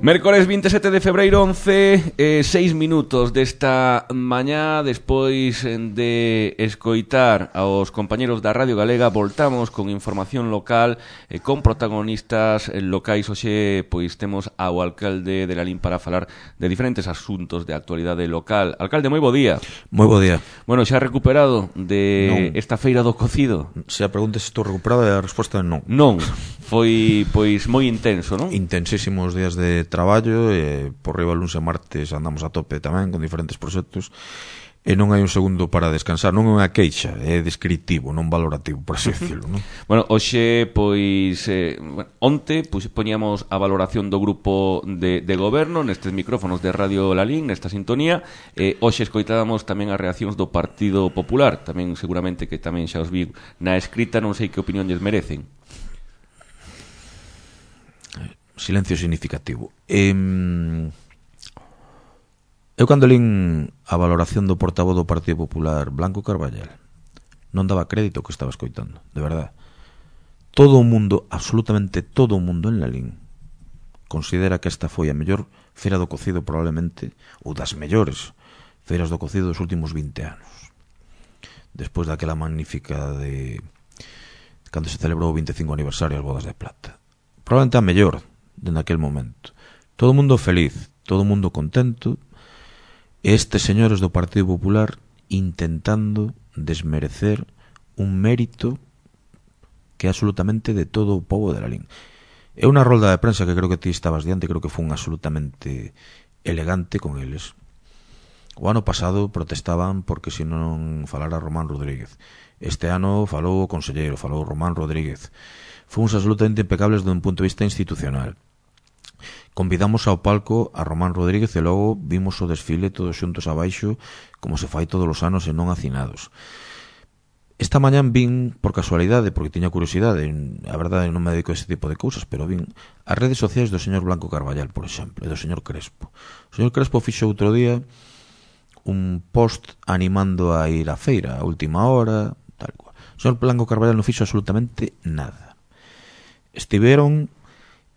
Mércores 27 de febreiro 11, 6 minutos desta mañá. Despois de escoitar aos compañeros da Radio Galega, voltamos con información local, con protagonistas locais. Hoxe pois temos ao alcalde de Lalín para falar de diferentes asuntos de actualidade local. Alcalde, moi bo día. Moi bo día. Bueno, xa recuperado de esta feira do cocido? Se a pregunta se estou recuperado, a resposta é non. Non, foi pois moi intenso, non? Intensísimos días de traballo, por riba luns e martes andamos a tope tamén con diferentes proxectos, e non hai un segundo para descansar. Non é unha queixa, é descritivo, non valorativo, por así decirlo, non? Bueno, hoxe, pois, onte poñíamos a valoración do grupo de goberno nestes micrófonos de Radio Lalín, nesta sintonía. Hoxe escoitábamos tamén as reaccións do Partido Popular, tamén seguramente que tamén xa os vi na escrita, non sei que opinión lles merecen. Silencio significativo. Eu cando lín a valoración do portavoz do Partido Popular, Blanco Carballal, non daba crédito que estaba escoitando, de verdade. Todo o mundo, absolutamente todo o mundo en Lalín, considera que esta foi a mellor feira do cocido probablemente, ou das mellores feiras do cocido dos últimos 20 anos. Despois daquela magnífica de cando se celebrou o 25 aniversario das bodas de plata. Probablemente a mellor dende aquel momento. Todo o mundo feliz, todo o mundo contento, e estes señores do Partido Popular intentando desmerecer un mérito que é absolutamente de todo o pobo de Lalín. É unha rolda de prensa que creo que ti estabas diante, creo que foi un absolutamente elegante con eles. O ano pasado protestaban porque se non falara Román Rodríguez. Este ano falou o conselleiro, falou Román Rodríguez. Fomos absolutamente impecables dun punto de vista institucional. Convidamos ao palco a Román Rodríguez e logo vimos o desfile todos xuntos abaixo, como se fai todos os anos e non hacinados. Esta mañán vin, por casualidade, porque tiña curiosidade, a verdade non me dedico a ese tipo de cousas, pero vin as redes sociais do señor Blanco Carballal, por exemplo, e do señor Crespo. O señor Crespo fixo outro día un post animando a ir á feira a última hora, tal cual. O señor Blanco Carballal non fixo absolutamente nada. Estiveron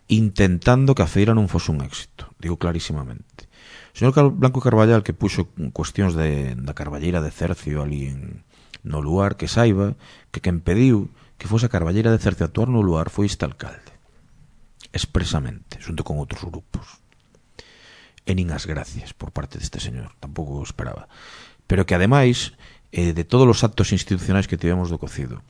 intentando que a feira non fose un éxito, digo clarísimamente. O señor Blanco Carballal, que puxo cuestións da carballeira de Cercio ali no lugar, que saiba que quen pediu que fose a carballeira de Cercio a actuar no lugar foi este alcalde, expresamente, xunto con outros grupos. E nin as gracias por parte deste señor, tampouco o esperaba. Pero que ademais, de todos os actos institucionais que tivemos do cocido,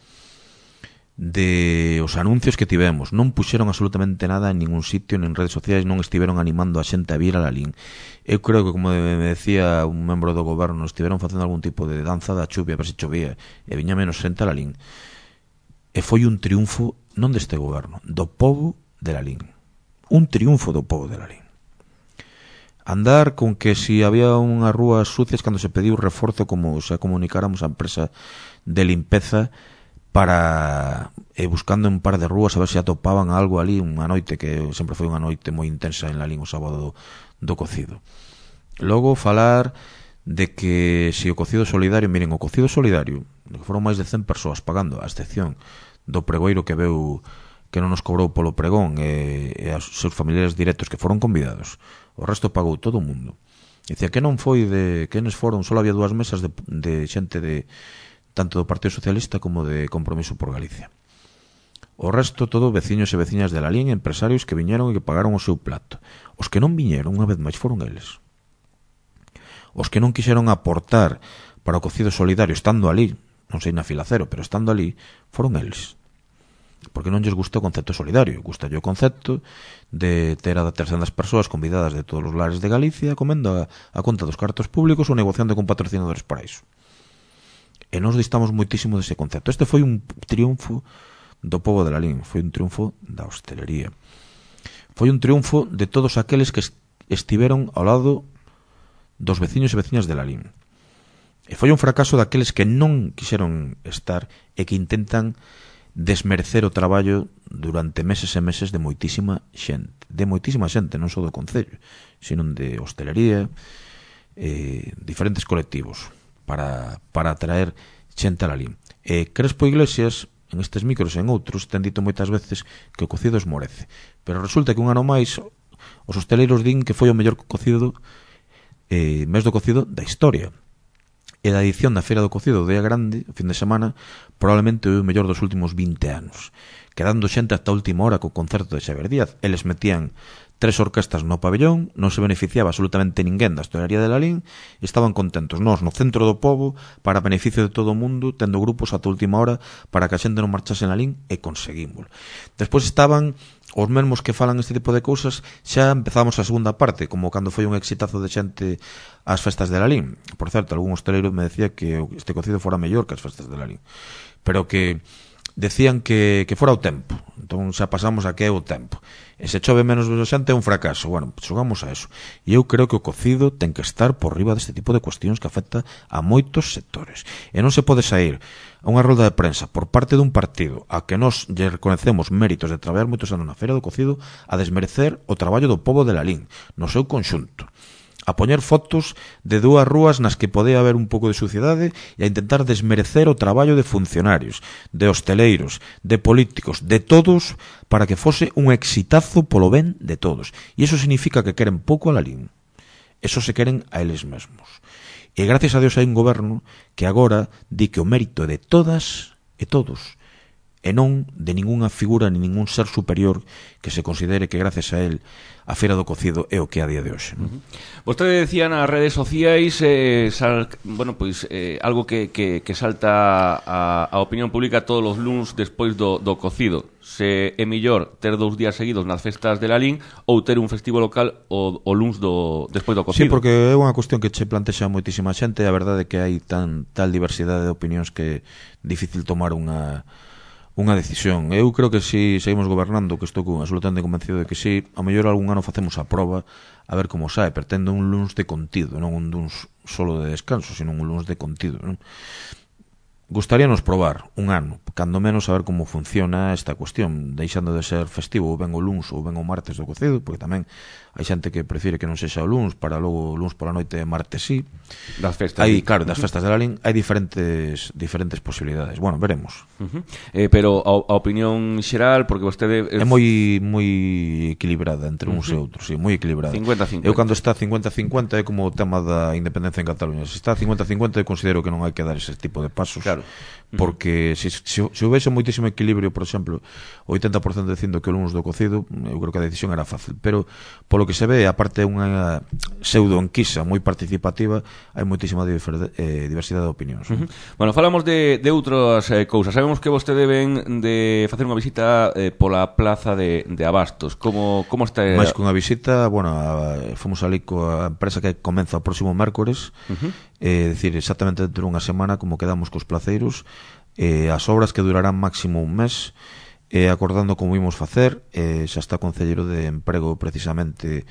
de os anuncios que tivemos, non puxeron absolutamente nada en ningún sitio, nin redes sociais, non estiveron animando a xente a vir a Lalín. Eu creo que, como me decía un membro do goberno, estiveron facendo algún tipo de danza da chuvia, a ver se chovía, e viña menos xente a Lalín. E foi un triunfo non deste goberno, do pobo de Lalín. Un triunfo do pobo de Lalín. Andar con que si había unhas rúas sucias cando se pediu reforzo, como se comunicáramos a empresa de limpeza, para buscando un par de rúas a ver se atopaban algo ali unha noite, que sempre foi unha noite moi intensa en Lalín o sábado do cocido. Logo falar de que se o cocido solidario, miren, o cocido solidario, que foron máis de 100 persoas pagando, a excepción do pregoiro que veu que non nos cobrou polo pregón e aos seus familiares directos que foron convidados, o resto pagou todo o mundo. Dicía que non foi de quenes foron, só había 2 mesas de xente de tanto do Partido Socialista como de Compromiso por Galicia. O resto todo veciños e veciñas de Lalín, empresarios que viñeron e que pagaron o seu plato. Os que non viñeron, unha vez máis, foron eles. Os que non quixeron aportar para o cocido solidario estando ali, non sei na fila cero, pero estando ali, foron eles. Porque non lles gusta o concepto solidario, gusta o concepto de ter a 300 persoas convidadas de todos os lares de Galicia comendo a conta dos cartos públicos ou negociando con patrocinadores para iso. E nos distamos moitísimo dese concepto. Este foi un triunfo do pobo de Lalín, foi un triunfo da hostelería, foi un triunfo de todos aqueles que estiveron ao lado dos veciños e veciñas de Lalín, e foi un fracaso daqueles que non quixeron estar e que intentan desmerecer o traballo durante meses e meses de moitísima xente, non só do concello, sino de hostelería, diferentes colectivos para atraer xente a Lalín. Crespo Iglesias, en estes micros e en outros, ten dito moitas veces que o cocido esmorece, pero resulta que un ano máis Os hosteleiros din que foi o mellor cocido, mes do cocido da historia. E da edición da Feira do Cocido do Día Grande, o fin de semana, probablemente o mellor dos últimos 20 anos. Quedando xente hasta a última hora co concerto de Xavier Díaz. Eles metían 3 orquestas no pabellón, non se beneficiaba absolutamente ninguén da hostelería de Lalín, e estaban contentos. Nós, no centro do pobo, para beneficio de todo o mundo, tendo grupos ata a última hora para que a xente non marchase en Lalín, e conseguímoslo. Despois estaban os mesmos que falan este tipo de cousas. Xa empezamos a segunda parte, como cando foi un exitazo de xente ás festas de Lalín. Por certo, algún hosteleiro me decía que este cocido fora mellor que as festas de Lalín, pero que decían que fora o tempo. Entón xa pasamos a que é o tempo. E se chove menos xente é un fracaso. Bueno, xogamos a eso. E eu creo que o cocido ten que estar por riba deste tipo de cuestións que afecta a moitos sectores. E non se pode sair a unha rolda de prensa por parte dun partido a que nós lle reconecemos méritos de traballar moitos anos na Feira do Cocido a desmerecer o traballo do pobo de Lalín no seu conxunto, a poñer fotos de 2 rúas nas que podía haber un pouco de suciedade e a intentar desmerecer o traballo de funcionarios, de hosteleiros, de políticos, de todos, para que fose un exitazo polo ben de todos. E iso significa que queren pouco a Lalín. Eso se queren a eles mesmos. E gracias a Dios hai un goberno que agora di que o mérito é de todas e todos, e non de ningunha figura ni ningún ser superior que se considere que gracias a él a Feira do Cocido é o que é a día de hoxe. Vostede decía nas redes sociais algo que salta a opinión pública todos os luns despois do cocido. Se é mellor ter 2 días seguidos nas festas de Lalín ou ter un festivo local o luns despois do cocido. Sí, porque é unha cuestión que che plantexa moitísima xente, e a verdade é que hai tal diversidade de opinións que é difícil tomar unha decisión. Eu creo que si seguimos gobernando, que estou absolutamente convencido de que si, a mellor algún ano facemos a proba a ver como sae, pero tendo un luns de contido, non un luns solo de descanso, sino un luns de contido, non? Gustaríanos probar un ano, cando menos, a ver como funciona esta cuestión, deixando de ser festivo ou ben o luns ou ben o martes do cocido, porque tamén hai xente que prefire que non sexa o luns para logo o luns pola noite e martes sí. Das festas. Claro, das festas de Lalín hai diferentes posibilidades. Bueno, veremos. Pero a opinión xeral, porque vostede é moi equilibrada entre uns e outros, sí, moi equilibrada. 50-50. Eu cando está 50-50 é como o tema da independencia en Cataluña. Se está 50-50 eu considero que non hai que dar ese tipo de pasos. Claro. Porque se houvese moitísimo equilibrio, por exemplo, o 80% dicindo que o luns do cocido, eu creo que a decisión era fácil, pero polo que se ve, aparte unha pseudo enquisa moi participativa, hai moitísima diversidade de opinións. Bueno, falamos de outras cousas. Sabemos que vostede ven de facer unha visita pola plaza de Abastos. Como está? Mais que unha visita, bueno, fomos ali coa empresa que comeza o próximo mércores, decir, exactamente dentro de unha semana, como quedamos cos placeiros, as obras que durarán máximo un mes, acordando como imos facer. Xa está o Concelleiro de Emprego precisamente,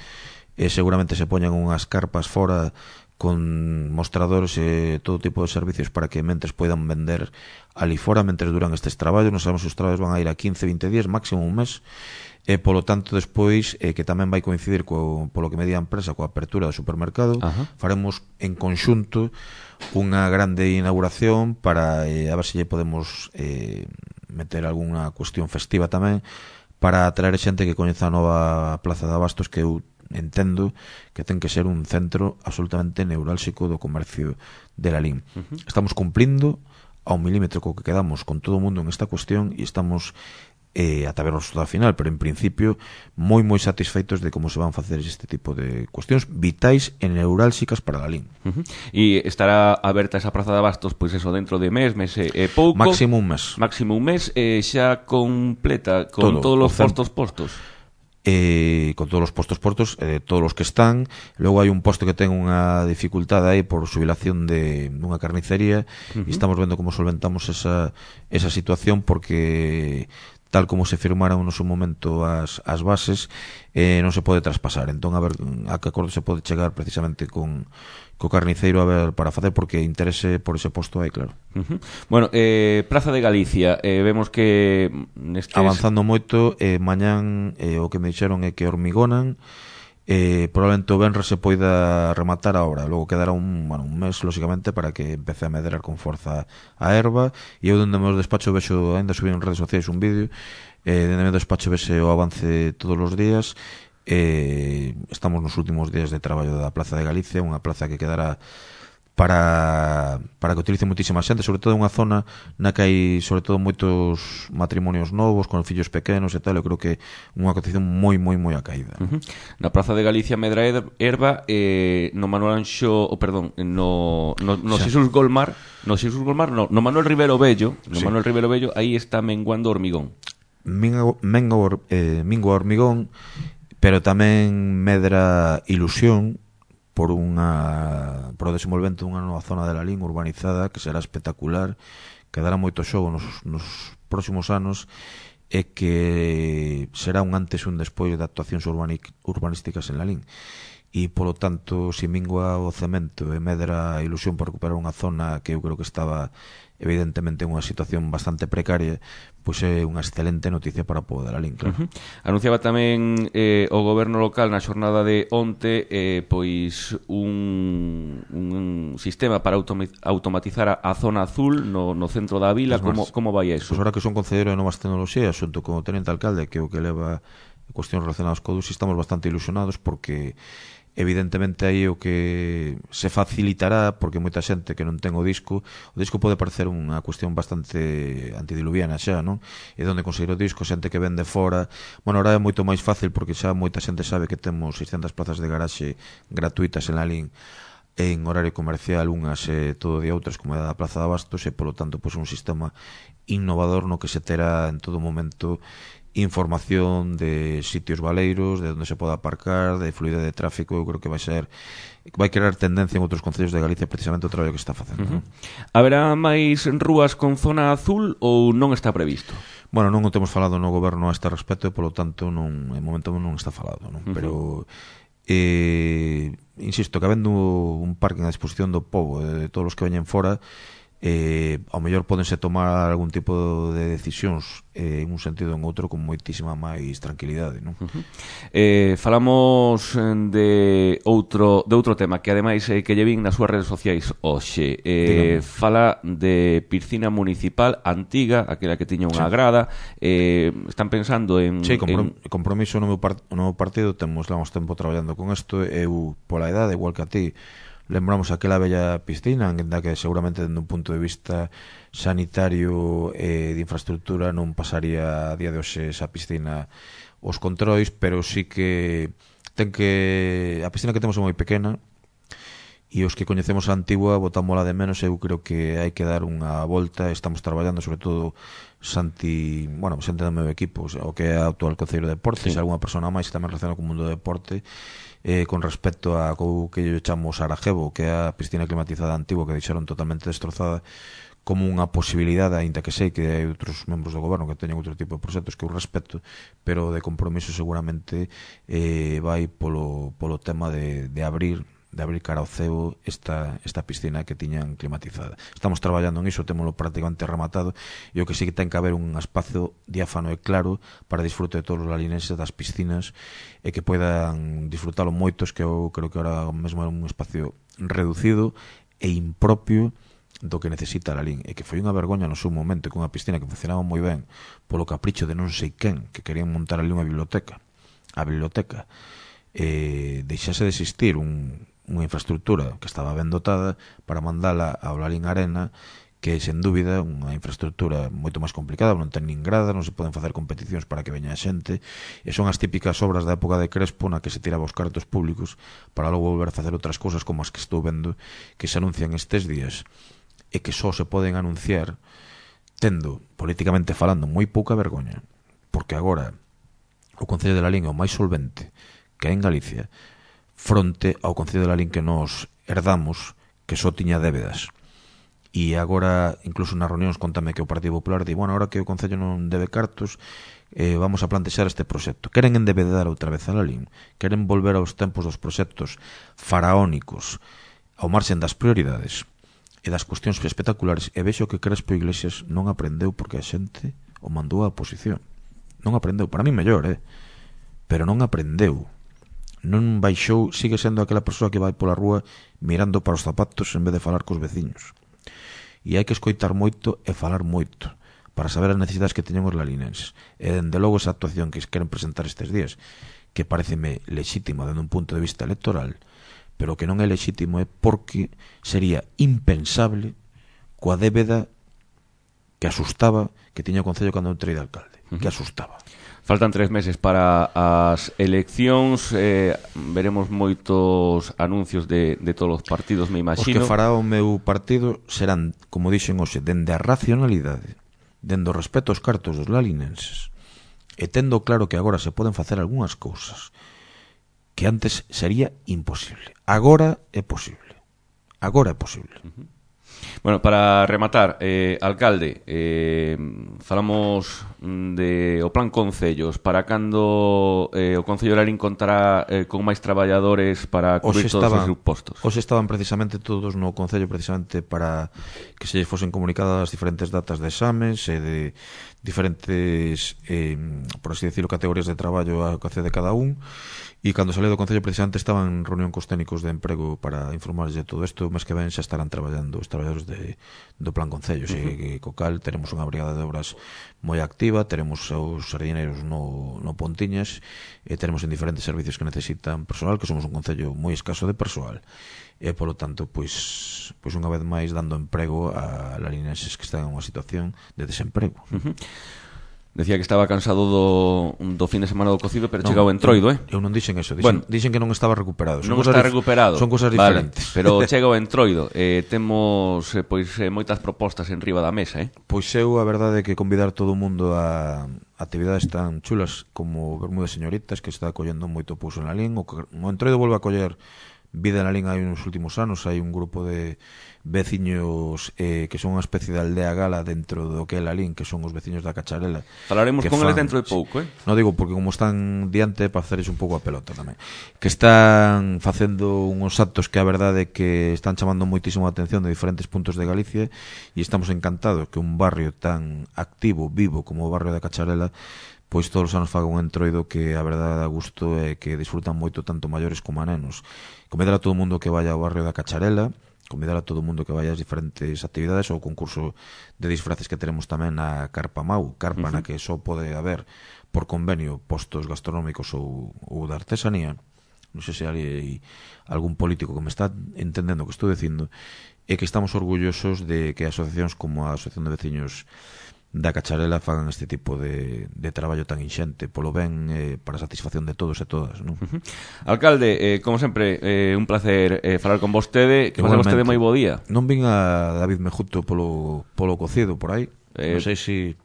seguramente se poñan unhas carpas fora con mostradores e todo tipo de servicios para que mentes poidan vender ali fora mentres duran estes traballos. Non sabemos se os traballos van a ir a 15-20 días, máximo un mes, e polo tanto despois, que tamén vai coincidir polo que medía a empresa coa apertura do supermercado. Faremos en conxunto unha grande inauguración para a ver se lle podemos meter algunha cuestión festiva tamén, para atraer xente que coñeza a nova plaza de Abastos, que eu entendo que ten que ser un centro absolutamente neurálxico do comercio de Lalín. Estamos cumplindo a un milímetro co que quedamos con todo o mundo en esta cuestión, e estamos ata ver o resultado final, pero en principio moi satisfeitos de como se van facer este tipo de cuestións vitais e neurálxicas para Lalín. E estará aberta esa praza de Abastos, pois eso, dentro de mes e pouco, máximo un mes, xa completa con todos os postos. Con todos os postos, todos os que están. Logo hai un posto que ten unha dificultade aí por xubilación dunha carnicería, e estamos vendo como solventamos esa situación, porque tal como se firmaron no seu momento as bases, non se pode traspasar. Entón, a ver a que acordo se pode chegar precisamente co carniceiro, a ver, para facer, porque interese por ese posto aí, claro. Bueno, Praza de Galicia, vemos que avanzando moito. Mañán o que me dixeron é que hormigonan, probablemente o venres se poida rematar a obra. Logo quedará un mes, lógicamente, para que empece a medrar con forza a erva. E eu dende o meu despacho vexo, ainda subí en redes sociais un vídeo, dende o meu despacho vese o avance todos os días. Estamos nos últimos días de traballo da Plaza de Galicia, unha plaza que quedará para que utilice moitísima xente, sobre todo unha zona na que hai sobre todo moitos matrimonios novos con fillos pequenos e tal. Eu creo que unha acontección moi acaída. Na Praza de Galicia Medra Herba, no Manuel Anxo, no Xesús Golmar, no Manuel Rivero Bello, aí está menguando hormigón. Mingo hormigón, pero tamén medra ilusión por o desenvolvemento dunha nova zona de Lalín urbanizada que será espectacular, que dará moito xogo nos próximos anos e que será un antes e un despois de actuacións urbanísticas en Lalín. E, polo tanto, se mingua o cemento e medra a ilusión por recuperar unha zona que eu creo que estaba evidentemente en unha situación bastante precaria, pois é unha excelente noticia para o pobo de Lalín, claro. Anunciaba tamén o goberno local na xornada de onte pois un sistema para automatizar a zona azul no centro da vila. Como vai eso? Pois ahora que son concelleiro de novas tecnoloxías xunto con o tenente alcalde, que é o que leva cuestións relacionadas co DUSI, estamos bastante ilusionados porque evidentemente aí o que se facilitará, porque moita xente que non ten o disco pode parecer unha cuestión bastante antidiluviana xa, non? E onde conseguir o disco, xente que vende fora. Bueno, ahora é moito máis fácil porque xa moita xente sabe que temos 600 plazas de garaxe gratuitas en Lalín en horario comercial, unhas todo día, outras como é da Plaza de Abastos, e polo tanto pois un sistema innovador no que se terá en todo momento información de sitios baleiros, de onde se pode aparcar, de fluidez de tráfico. Eu creo que vai crear tendencia en outros concellos de Galicia precisamente o traballo que está facendo. Haberá máis rúas con zona azul ou non está previsto? Bueno, non o temos falado no goberno a este respecto e polo tanto en momento non está falado, non? Pero insisto, que habendo un parque a disposición do pobo, de todos os que veñen fora, ao mellor pódense tomar algún tipo de decisións en un sentido ou en outro con moitísima máis tranquilidade, non? Falamos de outro tema que ademais que lle vin nas súas redes sociais hoxe. Fala de piscina municipal antiga, aquela que tiña unha grada. Están pensando en... Sí, compromiso no meu partido, levamos tempo traballando con isto. Eu, pola edade, igual que a ti, lembramos aquela bella piscina en da que seguramente dende un punto de vista sanitario e de infraestructura non pasaría a día de hoxe esa piscina os controis, pero sí que a piscina que temos é moi pequena e os que coñecemos a antigua botámola de menos. Eu creo que hai que dar unha volta. Estamos traballando, sobre todo xente do meu equipo, o que é o actual concelleiro de deportes, alguna persona máis tamén relacionada con o mundo do deporte, con respecto a o que yo chamo Sarajevo, que é a piscina climatizada antigua que deixaron totalmente destrozada, como unha posibilidade, aínda que sei que hai outros membros do goberno que teñen outro tipo de proxectos que eu respeto, pero de compromiso seguramente vai polo tema de abrir cara ao ceo esta piscina que tiñan climatizada. Estamos traballando en iso, témolo prácticamente rematado, e o que sí que ten que haber un espazo diáfano e claro para disfrute de todos os lalinenses das piscinas e que poidan disfrutalo moitos, que eu creo que ahora mesmo é un espacio reducido e impropio do que necesita Lalín, e que foi unha vergoña no seu momento, que unha piscina que funcionaba moi ben polo capricho de non sei quen que querían montar ali unha biblioteca, deixase de existir unha infraestructura que estaba ben dotada para mandala ao Lalín Arena, que é sen dúbida unha infraestructura moito máis complicada, non ten nin grada, non se poden facer competicións para que veña a xente, e son as típicas obras da época de Crespo na que se tiraba os cartos públicos para logo volver a facer outras cousas como as que estou vendo que se anuncian estes días e que só se poden anunciar tendo, políticamente falando, moi pouca vergoña, porque agora o Concello de Lalín é o máis solvente que hai en Galicia fronte ao Concello de Lalín que nos herdamos, que só tiña débedas. E agora, incluso nas reunións, contame que o Partido Popular di, bueno, ahora que o Concello non debe cartos, vamos a plantexar este proxecto. Queren endebedar outra vez a Lalín, queren volver aos tempos dos proxectos faraónicos, ao marxen das prioridades e das cuestións espectaculares, e vexo que Crespo Iglesias non aprendeu porque a xente o mandou á oposición. Non aprendeu, para mí mellor, pero non aprendeu. Non baixou, sigue sendo aquela persoa que vai pola rúa mirando para os zapatos en vez de falar cos veciños. E hai que escoitar moito e falar moito para saber as necesidades que teñen os lalinenses. E dende logo esa actuación que queren presentar estes días, que pareceme lexítimo dende un punto de vista electoral, pero que non é lexítimo é porque sería impensable coa débeda que asustaba que tiña o Concello cando entrei de alcalde, que asustaba. Faltan 3 meses para as eleccións, veremos moitos anuncios de todos os partidos, me imagino. Os que fará o meu partido serán, como dixen hoxe, dende a racionalidade, dende o respeto aos cartos dos lalinenses, e tendo claro que agora se poden facer algunhas cousas que antes sería imposible. Agora é posible. Agora é posible. Bueno, para rematar, alcalde, falamos de o plan Concellos. Para cando o Concello de Lalín contará con máis traballadores para cubrir todos os seus postos? Hoxe estaban precisamente todos no Concello precisamente para que se fosen comunicadas as diferentes datas de exames e de diferentes, por así decirlo, categorías de traballo a que de cada un. E cando salí do Concello precisamente estaban en reunión cos técnicos de emprego para informarles de todo isto. O mes que ven xa estarán traballando os traballadores do plan Concello, e co cal teremos unha brigada de obras moi activa, teremos os sardineiros no Pontiñas, e teremos en diferentes servicios que necesitan persoal, que somos un Concello moi escaso de persoal, e polo tanto pois unha vez máis dando emprego a lalinenses que están en unha situación de desemprego. Decía que estaba cansado do fin de semana do cocido, pero chega o entroido, Eu non dixen eso, dixen que non estaba recuperado. Non está recuperado. Son cosas diferentes. Vale, pero chega o entroido. Temos moitas propostas en riba da mesa, Pois eu a verdade é que convidar todo o mundo a actividades tan chulas como Bermúdez Señoritas, que está acollendo moito pouso en Lalín. O entroido volve a coller vida en Lalín hai uns últimos anos. Hai un grupo de veciños que son unha especie de aldea gala dentro do que é Lalín, que son os veciños da Cacharela. Falaremos con eles dentro de pouco, Non digo porque como están diante para faceres un pouco a pelota tamén, que están facendo uns actos que a verdade é que están chamando moitísimo a atención de diferentes puntos de Galicia, e estamos encantados que un barrio tan activo, vivo como o barrio da Cacharela pois todos os anos faga un entroido que a verdade dá gusto e que disfrutan moito tanto maiores como a nenos. Convidar a todo o mundo que vaya ao barrio da Cacharela, convidar a todo o mundo que vaya ás diferentes actividades, ao concurso de disfraces que tenemos tamén na Carpa Mau, carpa na que só pode haber por convenio postos gastronómicos ou de artesanía. Non sei se hai algún político que me está entendendo o que estou dicindo, e que estamos orgullosos de que asociacións como a Asociación de Veciños da Cacharela fagan este tipo de traballo tan inxente polo ben, para a satisfacción de todos e todas, non? Alcalde, como sempre, un placer falar con vostede. Que pase vostede moi bo día. Non vin a David Mejuto polo cocido por aí, non sei se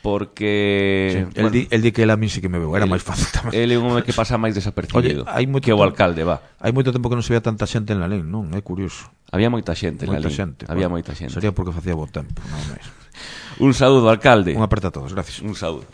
porque sí, el di que el a min sí que me veu, era máis fácil tamén. Ele é un home que pasa máis desapercibido. Oye, que o alcalde, va. Hai moito tempo que non se vea tanta xente en Lalín, non? É curioso. Había moita xente en Lalín. Había bueno, moita xente. Sería porque facía bo tempo, non máis. Un saúdo, alcalde. Un aperta a todos, gracias. Un saúdo.